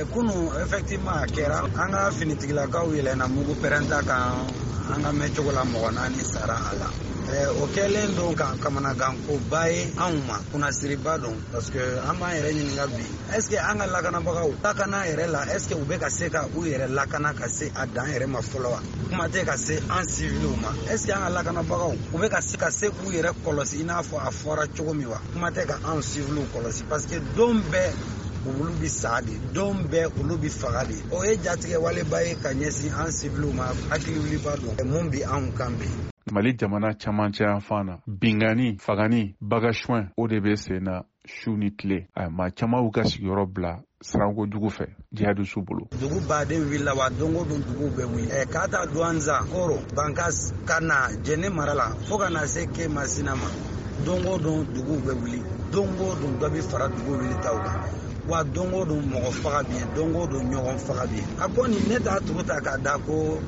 Kunu effectivement a kɛra, an ka finitigilakaw yɛlɛnna mugu pɛrɛnta kan, an ka mɛncogo la mɔgɔ 4 sara a la. O kɛlen don ka kamanagankoba ye anw ma, kunnasiriba don, parce que an b'an yɛrɛ ɲininka bi, est ce que an ka lakanabagaw lakana yɛrɛ la, est ce que u bɛ ka se ka u yɛrɛ lakana ka se a dan yɛrɛ ma fɔlɔ wa? Kuma tɛ ka se an siviliw ma. Est ce que an ka lakanabagaw u bɛ ka se ka se k'u yɛrɛ kɔlɔsi i n'a fɔ a fɔra cogo min wa? Kuma tɛ ka anw siviliw kɔlɔsi, parce que don bɛɛ olu bi sa de, don bɛɛ olu bi faga de. O ye jatigɛ waleba ye ka ɲɛsin an siviliw ma, hakiliwuliba don mun bi anw kan bi. Mali jamana camancɛ yanfan na, binkanni, fagani, bagasuwɛn, o de bɛ sen na su ni tile. A maa caman y'u ka sigiyɔrɔ bila siranko jugu fɛ jihadisiw bolo. Dugu baden wulila wa, don o don duguw bɛ wuli. K'a ta Douentza, Koro, Bankas, ka na Jɛnɛ mara la fo ka na se Kemasina ma, don o don duguw bɛ wuli, don o don dɔ bɛ fara dugu wulitaw kan. Wa don o don mɔgɔ faga bɛ yen, don o don ɲɔgɔn faga bɛ yen. A kɔni ne t'a tugu ta k'a da ko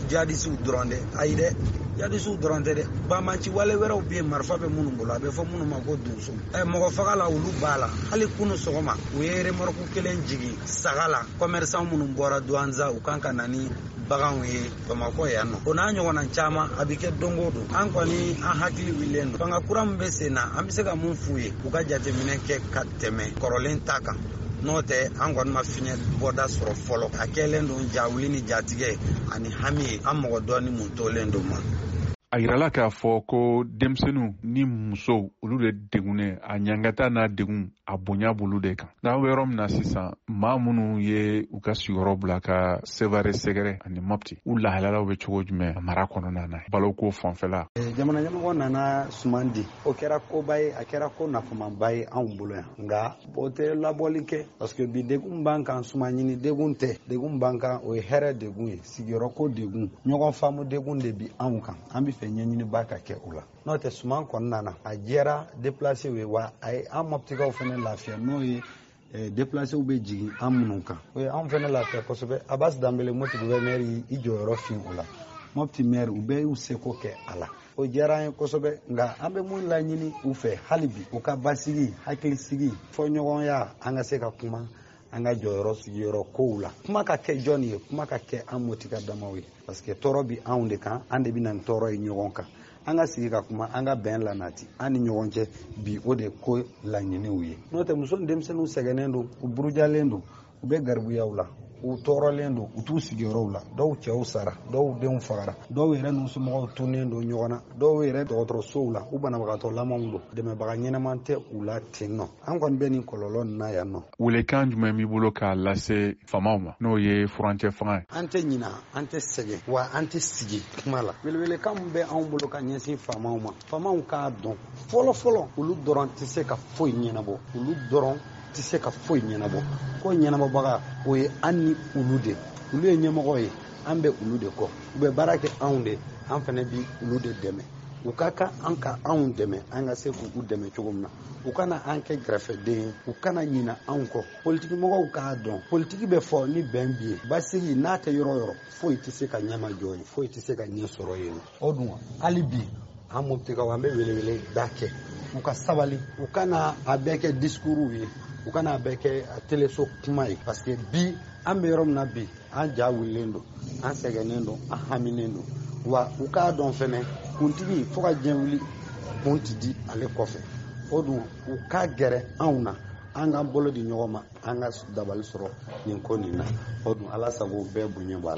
jihadisiw dɔrɔn dɛ, ayi dɛ, jihadisiw dɔrɔn tɛ dɛ, banbanci wale wɛrɛw bɛ yen, marifa bɛ minnu bolo, a bɛ fɔ minnu ma ko donso. Mɔgɔ faga la olu b'a la. Hali kunu sɔgɔma u ye remorque kelen jigin saga la, commerçant minnu bɔra Douentza u kan ka na ni baganw ye Bamakɔ yan nɔ. O n'a ɲɔgɔnna caman a bɛ kɛ don o don. An kɔni an hakili wulilen don. Fanga kura min bɛ sen na, an bɛ se ka mun f'u ye, u ka jateminɛ kɛ ka tɛmɛ kɔrɔlen ta kan. N'o tɛ an kɔni ma fiɲɛ bɔda sɔrɔ fɔlɔ. A kɛlen don jawuli ni jatigɛ ani hami ye, an mɔgɔ dɔɔni mun tolen don ma. A yirala k'a fɔ ko denmisɛnninw ni musow olu de degunnen, a ɲangata n'a degun a bonya b'olu de kan. N'an bɛ yɔrɔ min na sisan, maa minnu ye u ka sigiyɔrɔ bila ka Sevare sɛgɛrɛ ani Mopti, u lahalalaw bɛ cogo jumɛn mara kɔnɔna na, baloko fanfɛla? Jamana ɲɛmɔgɔ nana suman di, o kɛra koba ye, a kɛra ko nafamanba ye anw bolo yan. Nka o tɛ labɔli kɛ, parce que bi degun b'an kan, suman ɲini degun tɛ, degun b'an kan o ye hɛrɛ degun ye, sigiyɔrɔko degun, ɲɔgɔn faamu degun de bi anw kan. An bɛ fɛ ɲɛɲiniba ka kɛ o la. N'o tɛ suman kɔnɔna na, a jɛra déplacé ye, wa a ye an Moptikaw fɛnɛ lafiya, n'o ye déplacéw bɛ jigin an minnu kan. O ye anw fɛnɛ lafiya kosɛbɛ. Abbas Danbele, Mopti gouverneur y'i jɔyɔrɔ fin o la. Mopti maire, u bɛɛ y'u seko kɛ a la. O diyara an ye kosɛbɛ, nka an bɛ mun laɲini u fɛ hali bi, u ka basigi, hakilisigi, fɔɲɔgɔnya, an ka se ka kuma an ka jɔyɔrɔ sigiyɔrɔ kow la. Kuma ka kɛ jɔn ye, kuma ka kɛ an Moptika damaw ye, parce que tɔɔrɔ bi anw de kan, an de bɛ na ni tɔɔrɔ ye ɲɔgɔn kan. An ka sigi ka kuma, an ka bɛn lanati an ni ɲɔgɔn cɛ bi, o de ko laɲiniw ye. N'o tɛ muso ni denmisɛnninw sɛgɛnnen don, u burujalen don, u bɛ garibuyaw la, u tɔɔrɔlen don, u t'u sigiyɔrɔw la. Dɔw cɛw sara, dɔw denw fagara, dɔw yɛrɛ n'u somɔgɔw tunnen don ɲɔgɔn na, dɔw yɛrɛ dɔgɔtɔrɔsow la, u banabagatɔ lamanw don, dɛmɛbaga ɲɛnama tɛ u la ten nɔ. An kɔni bɛ nin kɔlɔlɔ nin na yan nɔ. Welekan jumɛn b'i bolo k'a lase faamaw ma, n'o ye furancɛ fanga ye? An tɛ ɲina, an tɛ sɛgɛn, wa an tɛ sigi kuma la. Welewelekan min bɛ anw bolo ka ɲɛsin faamaw ma, faamaw k'a dɔn fɔlɔ fɔlɔ, olu dɔrɔn tɛ se ka foyi ɲɛnabɔ, olu dɔrɔn tɛ se ka foyi ɲɛnabɔ. Ko ɲɛnabɔbaga o ye an ni olu de, olu ye ɲɛmɔgɔ ye, an bɛ olu de kɔ, u bɛ baara kɛ anw de, an fana bi olu de dɛmɛ. U ka kan an ka anw dɛmɛ, an ka se k'u dɛmɛ cogo min na. U kana an kɛ kɛrɛfɛden ye, u kana ɲina anw kɔ. Politikimɔgɔw k'a dɔn, politiki bɛ fɔ ni bɛn bi ye, basigi n'a tɛ yɔrɔ o yɔrɔ, foyi tɛ se ka ɲɛmajɔ yen, foyi tɛ se ka ɲɛ sɔrɔ yen. O dun hali bi an Moptikaw, an bɛ welewele da kɛ, u ka sabali, u kana a bɛɛ kɛ discours ye, u kana a bɛɛ kɛ teleso kuma ye, parce que bi an bɛ yɔrɔ min na bi, an ja wulilen don, an sɛgɛnnen don, an haminen don. Wa u k'a dɔn fɛnɛ, kuntigi fo ka diɲɛ wuli, kun ti di ale kɔfɛ. O dun u ka gɛrɛ anw na, an k'an bolo di ɲɔgɔn ma, an ka dabali sɔrɔ nin ko nin na. O dun Ala sago, bɛɛ bonya b'a la.